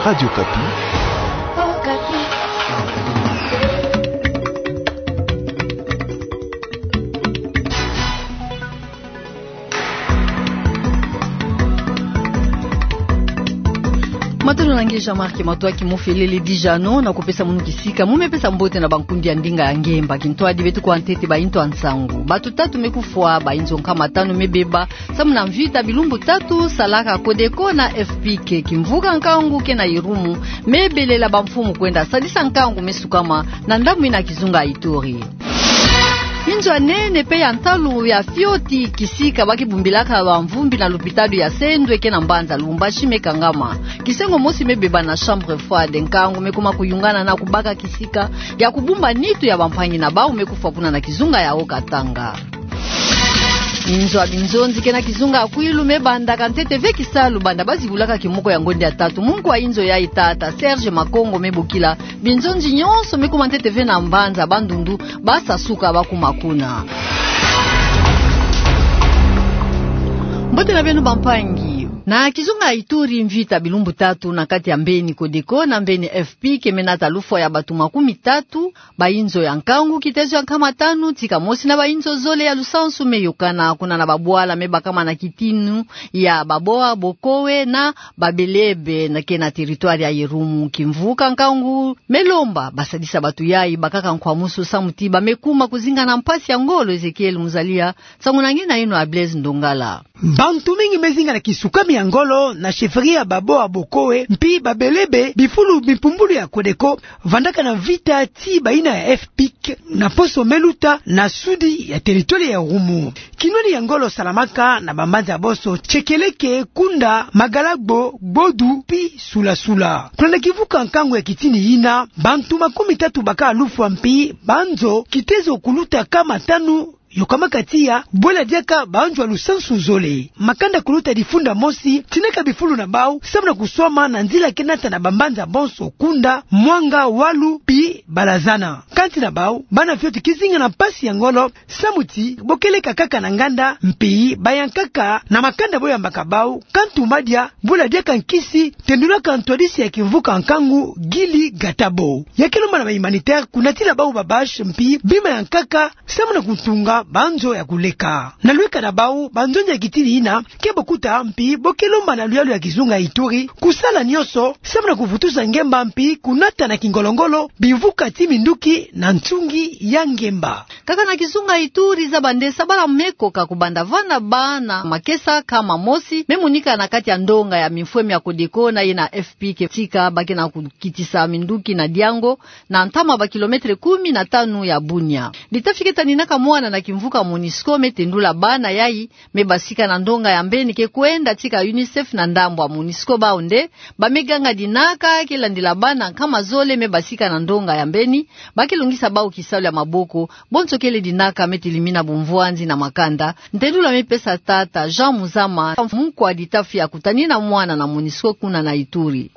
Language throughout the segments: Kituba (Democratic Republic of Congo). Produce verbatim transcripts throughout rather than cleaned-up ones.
Radio Okapi. Matondo na nge Jean-Marc Matoaki, mo felele dija no na kupesa munu kisika, mo me pesa mbote na bankundi ya ndinga ya ngemba. Kintwadi beto kuwa ntete bainzo ya nsangu. Bato tatu me kufwa, bainzo nkama tanu me beba, samu na mvita bilumbu tatu salaka Codeco na F P I C, kimvuka nkangu ke na Irumu, me belela bamfumu kwenda sadisa nkangu me sukama na ndambu ina kizunga Ituri. Inzo ya nene pe ya ntalu ya fioti kisika ba ke bumbilaka bamvumbi na lupitalu ya Sendwe ke na mbanza Lubumbashi me kangama. Kisengo mosi me beba na chambre froide, nkangu me kuma kuyungana na kubaka kisika ya kubumba nitu ya bampangi na bau me kufwa kuna na kizunga ya Haut-Katanga. Inzo ya binzonzi ke na kizunga ya Kwilu me bandaka ntete ve kisalu banda ba zibulaka kimoko ya ngonde ya tatu. Munkwa inzo yayi, tata Serge Makongo, me bokila binzonzi nyonso me kuma ntete ve na mbanza Bandundu ba sasuka ba kuma kuna. Mbote na beno bampangi. Na kizunga ya Ituri, mvita bilumbu tatu na kati ya mbeni Codeco na mbeni F P I C me nata lufwa ya bato makumi tatu, bainzo ya nkangu, kitezo ya nkama tanu tika mosi na bainzo zole ya lusansu me yokana kuna na babwala me bakama na kitini ya Baboa Bokowe na Babelebe na ke na territoire ya Irumu. Kimvuka nkangu me lomba ba sadisa bato yayi, bakaka nkwamusu, samu ti ba me kuma kuzinga na mpasi ya ngolo. Ezekiel Muzalia, nsangu na nge na ino ya Blaise Ndongala. Bantu mingi me zinga na kisukami ya ngolo na chefferie ya Baboa Bokowe mpi Babelebe, bifulu bimpumbulu ya Codeco vandaka na mvita ti baina ya F P I C na poso me luta na sudi ya territoire ya Irumu. Kinwani ya ngolo salamaka na bambanza boso Chekeleke, Kunda, Magalagbo, Gbodu mpi Sulasula. Kuna na kimvuka nkangu ya kitini yina, bantu makumi tatu bakaka lufwa mpi banzo kitezo kuluta nkama tanu yokamaka tiya bwela diaka banzo ya lusansu zole. Makanda kuluta difunda mosi tinaka bifulu na bau samu na kuswama na nzila ke nata na bambanza bonso Kunda, Mwanga, Walu mpi Balazana. Kansi na bau bana fioti ke zinga na mpasi ya ngolo samu ti bo ke leka kaka na nganda mpi ba yankaka na makanda bo yambaka bau kantu madia bwela diaka nkisi, tendulaka ntwadisi ya kimvuka nkangu Gilly Gatabo. Ya ke lomba na ba humanitaire kunatila bau ba bâche mpi bima yankaka samu na kutunga banzo ya kuleka. Na lweka na bau, banzonzi ya kitini yina ke bo kuta mpi bo ke lomba na luyalu ya kizunga Ituri kusala nyonso samu na kuvutusa ngemba mpi kunata na kingolo-ngolo bimvuka ti minduki na nsungi ya ngemba. Kaka na kizunga Ituri, zaba nde sabala me koka kubanda vanda bana makesa nkama mosi me monika na kati ya ndonga ya mimfwemi ya Codeco na ye na F P I C tika ba ke na kukitisa minduki na Diango, na ntama ba kilomètre kumi na tanu ya Bunia. Dita fi ke taninaka mwana na kimvuka Monusco me tendula bana yayi me basika na ndonga ya mbeni ke kwenda tika UNICEF na ndambu ya Monusco. Bau nde ba me ganga dinaka ke landila bana nkama zole me basika na ndonga ya mbeni, ba ke longisa bau kisalu ya maboko, bonso kele dinaka me telimina bumvwanzi na makanda. Ntendula me pesa tata Jean Muzama, munkwa dita fi ya kutanina mwana na Monusco kuna na Ituri.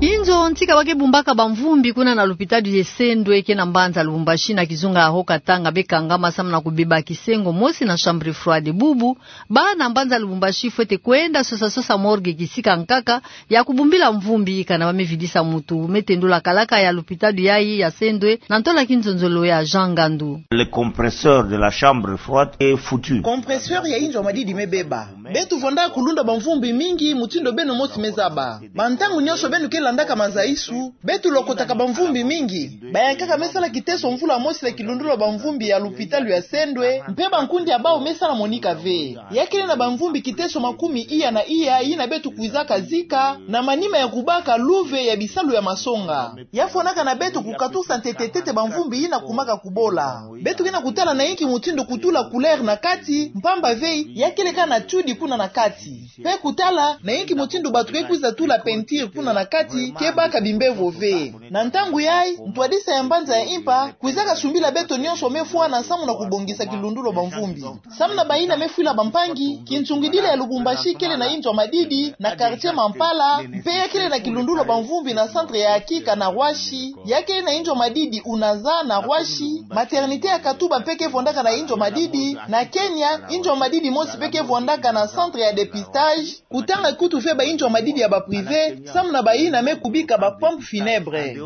Inzo ntika ba ke bumbaka bamvumbi kuna na lupitalu ya Sendwe ke na mbanza Lubumbashi na kizunga ya Haut-Katanga be kangama samu na kubeba kisengo mosi na chambre froide. Bubu, bana mbanza Lubumbashi fwete kwenda sosa-sosa morgue kisika nkaka ya kubumbila mvumbi kana ba me vidisa mutu, me tendula kalaka ya lupitalu yayi ya Sendwe na ntola kinzonzolo ya Jean Ngandu. Le compresseur de la chambre froide est foutu. Compresseur ya inzo ya madidi me beba. Beto vanda kulunda bamvumbi mingi, mutindu beno mosi me zaba. Bantangu nyonso beno ke landaka mazayisu, beto lokotaka bamvumbi mingi. Bayankaka me sala kiteso mvula mosi na kilundula bamvumbi ya lupitalu ya Sendwe, mpe bankundi ya bau me sala monika ve. Ya kele na bamvumbi kiteso makumi iya na iya yina beto kwizaka zika, na manima ya kubaka luve ya bisalu ya masonga. Ya fwanaka na beto kukatusa ntete-ntete bamvumbi yina kumaka kubola. Beto ke na kutala na yinki mutindu kutula couleur na kati, mpamba ve ya kele kaka na tiudi kuna na kati. Mpe kutala na yinki mutindu bato ke kwiza tula peinture kuna na kati, ke ba ka bimbevo ve. Na ntangu yayi, ntwadisa ya mbanza ya Impa kwizaka sumbila beto nyonso me fwana samu na kubongisa kilundulu bamvumbi. Samu na bayina me fwila bampangi, kinsungidila ya Lubumbashi kele na inzo ya madidi na quartier Mampala, mpe ya kele na kilundulu bamvumbi na centre ya Akika na Roissy, ya kele na inzo ya madidi Unaza na Roissy, maternité ya Katuba mpe ke vwandaka na inzo ya madidi. Na Kenya, inzo ya madidi mosi mpe ke vwandaka na centre ya dépistage. Kutanga kutu ve ba inzo ya madidi ya ba privé, samu na bayina me kubika ba pompes funèbres.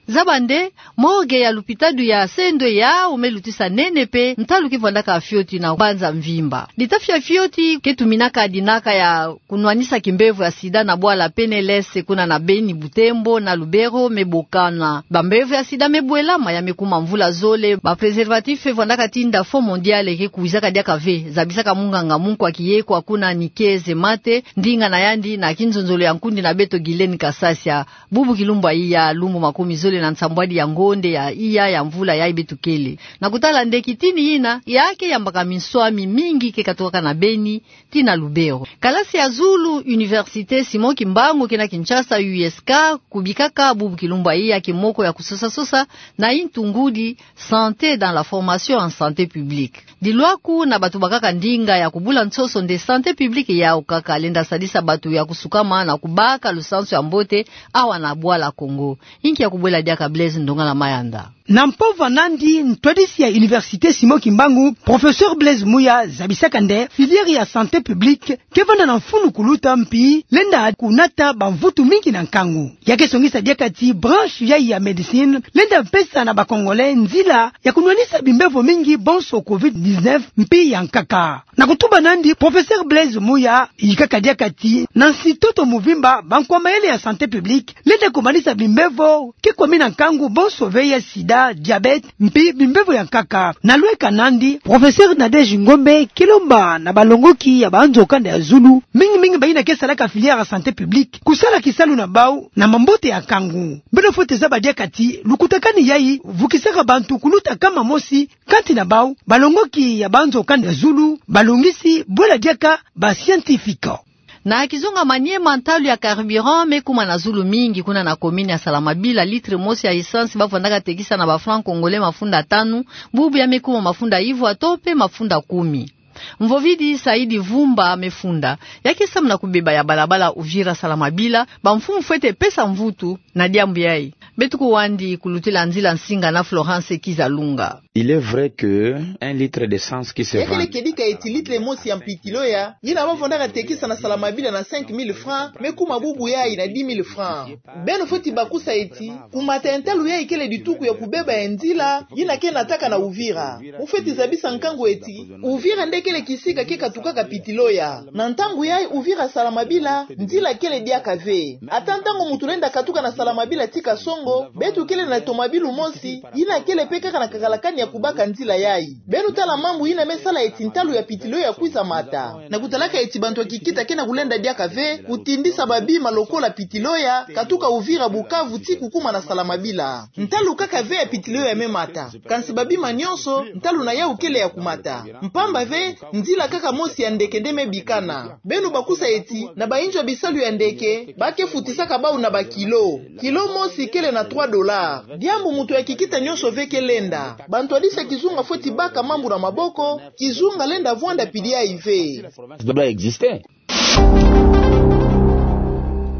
Zaba nde, morgue ya lupitalu ya Sendwe yawu me lutisa nene mpe ntalu ke vwandaka fioti na mbanza mvimba. Litafi ya fioti ke tuminaka dinaka ya kunwanisa kimbevo ya sida na bwala P N L S kuna na Beni, Butembo na Lubero me bokana. Bambevo ya sida me bwelama ya me kuma mvula zole, ba préservatifs vwandaka tinda Fonds Mondial ke kwizaka diaka ve, zabisaka munganga Munkwa Kiyekwa kuna Nikiye Zemate, ndinga na yandi na kinzonzolo ya nkundi na beto Guylaine Kasasia. Bubu kilumbu ya iya, lumbu makumi zole na nsambwadi ya ngonde ya iya ya mvula yayi beto kele. Na kutala nde kitini yina, ya ke yambaka minswami mingi ke katukaka na Beni tii na Lubero. Kalasi ya zulu, Université Simon Kimbangu kina Kinshasa, U S K, kubikaka bubu kilumbu ya iya kimoko ya kusosa-sosa na intu ngudi, santé dans la formation en santé publique. Dilwaku na bato bakaka ndinga ya kubula nsoso nde santé publique yawu kaka lenda sadisa bato ya kusukama na kubaka lusansu ya mbote awa na bwala Kongo. Inki ya kubwela diaka Blaise Ndongala Mayanda. Na mpova nandi, ntwadisi ya Université Simon Kimbangu, professeur Blaise Mouya, zabisaka nde filière ya santé publique ke vanda na mfunu kuluta mpi lenda kunata bamvutu mingi na nkangu. Ya ke songisa diaka ti branche yayi ya médecine lenda pesa na ba Congolais nzila ya kunwanisa bimbevo mingi bonso covid dix-neuf mpi ya nkaka. Na kutuba nandi, professeur Blaise Mouya yikaka diaka ti na nsi-ntoto mvimba, bankwa mayele ya santé publique lenda kumanisa bimbevo ke kwami na nkangu bonso ve ya sida, diabète, mpi bimbevo ya nkaka. Na lweka nandi, professeur Nadège Ngombe ke lomba na balongoki ya banzo kanda ya zulu, mingi-mingi bayina ke salaka filière ya santé publique, kusala kisalu na bawu na mambote ya nkangu. Beno fwete zaba diaka ti lukutakanu yayi vukisaka bantu kuluta nkama mosi, kati na bawu balongoki ya banzo kanda ya zulu, balongisi, bwela diaka ba scientifiques. Na kizunga Maniema, ntalu ya carburant me kuma na zulu mingi kuna na commune ya Salamabila. Litre mosi ya essence ba vandaka tekisa na ba francs congolais mafunda tanu, bubu ya me kuma mafunda ivwa to mpe mafunda kumi. Mvovidi Saidi Vumba me funda. Ya ke samu na kubeba ya balabala Uvira Salamabila, bamfumu fwete pesa mvutu na diambu yayi. Beto kuwandi kulutila nzila nsinga na Florence Kizalunga. Il est vrai que un litre d'essence qui se vend... Ya kele kedika eti litre mosi ya mpitiloya yina ba vandaka tekisa na Salamabila na cinq mille francs, me kuma bubu yayi na dix mille francs. Beno fweti bakusa eti kumata ya ntalu yayi kele dituku ya kubeba ya nzila yina ke nataka na Uvira. Mu fweti zabisa nkangu eti Uvira nde kele kisika ke katukaka pitiloya. Na ntangu yayi Uvira Salamabila, nzila kele diaka ve. Ata ntangu muntu lenda katuka na Salamabila ti Kasongo, beto kele na tomabilu mosi yina kele mpe kaka na kakalakani ya kubaka nzila yayi. Beno tala mambu yina me sala eti ntalu ya pitiloya kwiza mata. Na kutalaka eti bantu ya kikita ke na kulenda diaka ve kutindisa babima lokola pitiloya katuka Uvira, Bukavu ti kukuma na Salamabila. Ntalu kaka ve ya pitiloya me mata. Kansi babima nyonso, ntalu na yawu kele ya kumata. Mpamba ve, nzila kaka mosi ya ndeke nde me bikana. Beno bakusa eti na bainzo ya bisalu ya ndeke, ba ke futisaka bawu na ba kilo. Kilo mosi kele na trois dollars. Diambu muntu ya kikita nyonso ve ke lenda. Bantwadisi ya kizunga fweti baka mambu na maboko, kizunga lenda vwanda pili yayi ve.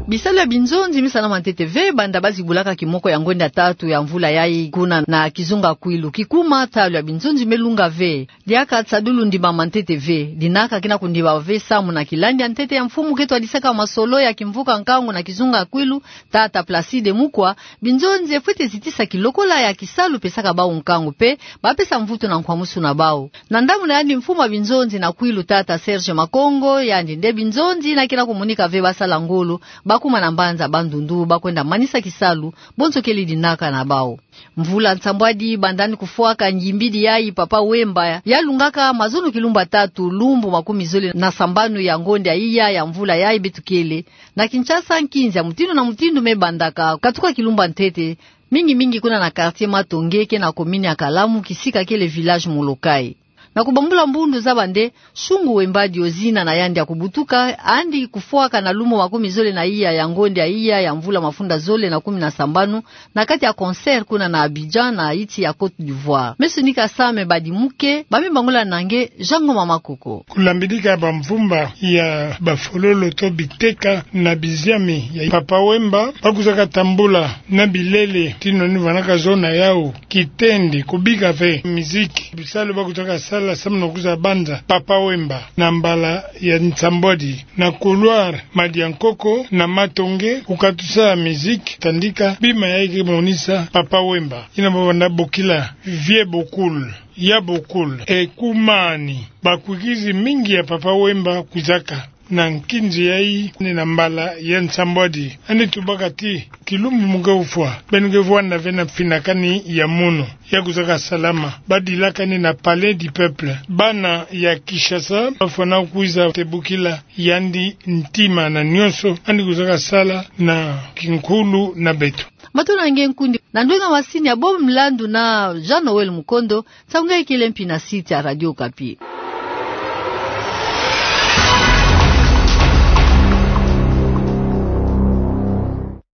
Bisalu ya binzonzi me salama ntete ve banda ba zibulaka kimoko ya ngonda tatu ya mvula yayi kuna na kizunga Kwilu. Kikuma, ntalu ya binzonzi me lunga ve. Diaka nsadulu ndimama ntete ve. Dinaka kina kundimama ve samu na kilandi ya ntete ya mfumu ke twadisaka masolo ya kimvuka nkangu na kizunga Kwilu, tata Placide Mukwa, binzonzi fwete zitisa kilokola ya kisalu pesaka bawu nkangu mpe ba pesa mvutu na nkwamusu na bawu. Na ndambu na yandi mfumu ya binzonzi na Kwilu, tata Serge Makongo, yandi nde binzonzi yina ke na kumunika ve ba sala ngolo, ba kuma na mbanza Bandundu, ba kwenda manisa kisalu, bonso kele dinaka na bawu. Mvula nsambwadi banda ni kufwaka ngimbidi yayi Papa Wemba, ya lungaka mazono kilumbu tatu, lumbu makumi zole na sambanu ya ngonda ya iya ya mvula yayi beto kele. Na Kinshasa, nkinzi ya mutindu na mutindu me bandaka katuka kilumbu ntete, mingi-mingi kuna na quartier Matonge ke na commune ya Kalamu, kisika kele village Molokai. Na kubambula mbundu zaba nde, Shungu Wemba Diozina na yandi ya kubutuka, andi kufwaka na lumo makumi zole na iya ya ngonde ya iya ya mvula mafunda zole na kumi na sambanu, na kati ya concert kuna na Abidjan, na yinsi ya Côte d'Ivoire. Meso nika same badi muke, ba mi bangula na nge, Jean Ngoma Makoko. Kulambidika bamvumba ya bafololo to biteka na biziami ya Papa Wemba, ba kuzaka tambula na bilele, tino ni vanaka zona yau, kitendi, kubika ve miziki, bisalu ba kuzaka sala samu na kuzabanza Papa Wemba, na mbala ya nsambwadi, na couloir Madiankoko, na Matonge, kukatusa miziki, tandika, bima yayi ke monisa Papa Wemba. Ina baba na bokila, Vieux Bokul, Ya Bokul, Ekumani, bakwikizi mingi ya Papa Wemba kuzaka na nkinzi yayi ni na mbala ya nsambwadi. Ani tubaka ti, kilumbu mu ke ufwa, beno ke vwanda ve na mfinakani ya munu, ya kuzaka salama, badilakani na Palais du Peuple. Bana ya Kinshasa, bafwana kwiza tebukila yandi ntima na nionso, ani kuzaka sala na kinkulu na beto. Matondo na nge nkundi, na ndwenga masini ya Bob Mlandu na Jean Noël Mukondo, nsangu nge kele mpi na site ya Radio Okapi.